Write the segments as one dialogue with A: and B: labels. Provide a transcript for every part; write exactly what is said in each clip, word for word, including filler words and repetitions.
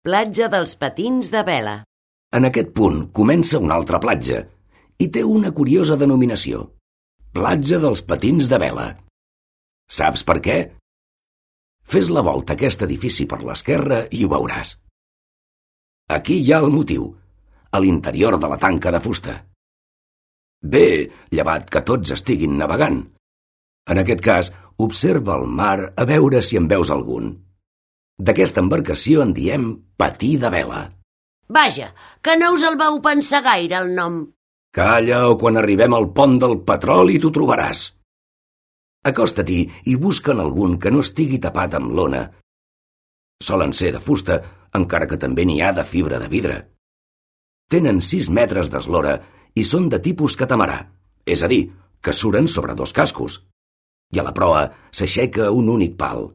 A: Platja dels Patins de Vela.
B: En aquest punt comença una altra platja i té una curiosa denominació. Platja dels Patins de Vela. Saps per què? Fes la volta a aquest edifici per l'esquerra i ho veuràs. Aquí hi ha el motiu, a l'interior de la tanca de fusta. Bé, llevat que tots estiguin navegant. En aquest cas, observa el mar a veure si en veus algun. D'aquesta embarcació en diem patí de vela.
A: Vaja, que no us el vau pensar gaire, el nom.
B: Calla o quan arribem al pont del petroli t'ho trobaràs. Acosta-t'hi i busca'n algun que no estigui tapat amb lona. Solen ser de fusta, encara que també n'hi ha de fibra de vidre. Tenen sis metres d'eslora i són de tipus catamarà, és a dir, que suren sobre dos cascos. I a la proa s'aixeca un únic pal.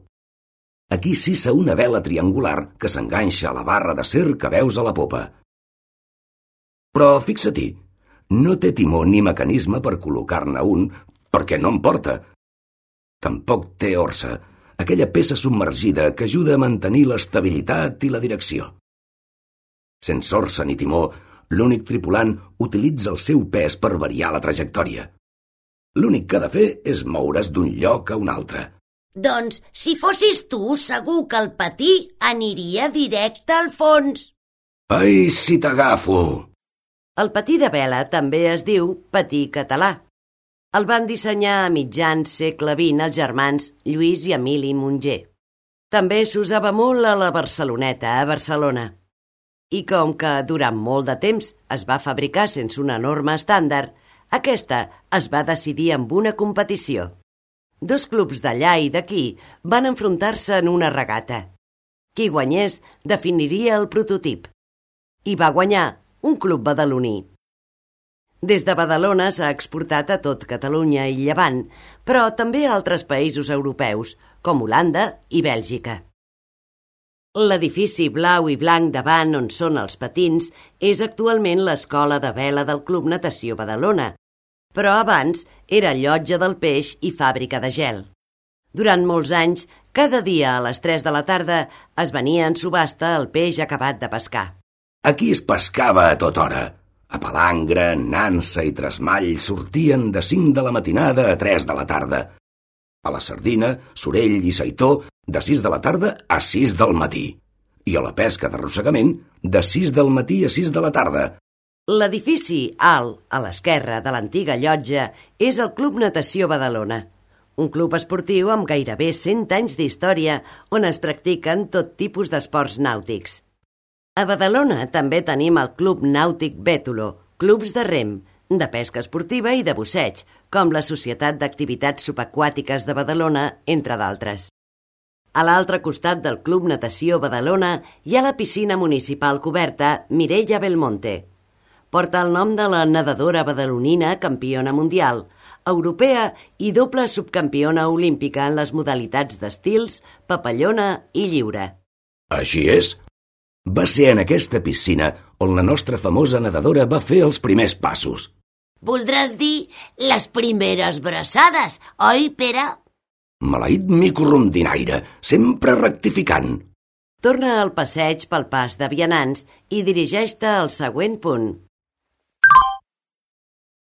B: Aquí s'hissa una vela triangular que s'enganxa a la barra d'acer que veus a la popa. Però fixa-t'hi, no té timó ni mecanisme per col·locar-ne un, perquè no en porta. Tampoc té orsa, aquella peça submergida que ajuda a mantenir l'estabilitat i la direcció. Sense orsa ni timó, l'únic tripulant utilitza el seu pes per variar la trajectòria. L'únic que ha de fer és moure's d'un lloc a un altre.
A: Doncs, si fossis tu, segur que el patí aniria directe al fons.
B: Ai, si t'agafo!
A: El patí de vela també es diu patí català. El van dissenyar a mitjans segle vint els germans Lluís i Emili Munger. També s'usava molt a la Barceloneta, a Barcelona. I com que durant molt de temps es va fabricar sense una norma estàndard, aquesta es va decidir amb una competició. Dos clubs d'allà i d'aquí van enfrontar-se en una regata. Qui guanyés definiria el prototip. I va guanyar un club badaloní. Des de Badalona s'ha exportat a tot Catalunya i Llevant, però també a altres països europeus, com Holanda i Bèlgica. L'edifici blau i blanc davant on són els patins és actualment l'escola de vela del Club Natació Badalona, però abans era llotja del peix i fàbrica de gel. Durant molts anys, cada dia a les tres de la tarda es venia en subhasta el peix acabat de pescar.
B: Aquí es pescava a tota hora. A palangre, nansa i tresmall sortien de cinc de la matinada a tres de la tarda. A la sardina, sorell i saitó, de sis de la tarda a sis del matí. I a la pesca d'arrossegament, de sis del matí a sis de la tarda.
A: L'edifici alt, a l'esquerra de l'antiga llotja, és el Club Natació Badalona, un club esportiu amb gairebé cent anys d'història on es practiquen tot tipus d'esports nàutics. A Badalona també tenim el Club Nàutic Bètolo, clubs de rem, de pesca esportiva i de busseig, com la Societat d'Activitats Subaquàtiques de Badalona, entre d'altres. A l'altre costat del Club Natació Badalona hi ha la piscina municipal coberta Mireia Belmonte. Porta el nom de la nedadora badalonina campiona mundial, europea i doble subcampiona olímpica en les modalitats d'estils, papallona i lliure.
B: Així és. Va ser en aquesta piscina on la nostra famosa nedadora va fer els primers passos.
A: Voldràs dir les primeres braçades, oi, Pere?
B: Maleït mico rondinaire, sempre rectificant.
A: Torna al passeig pel pas de vianants i dirigeix-te al següent punt.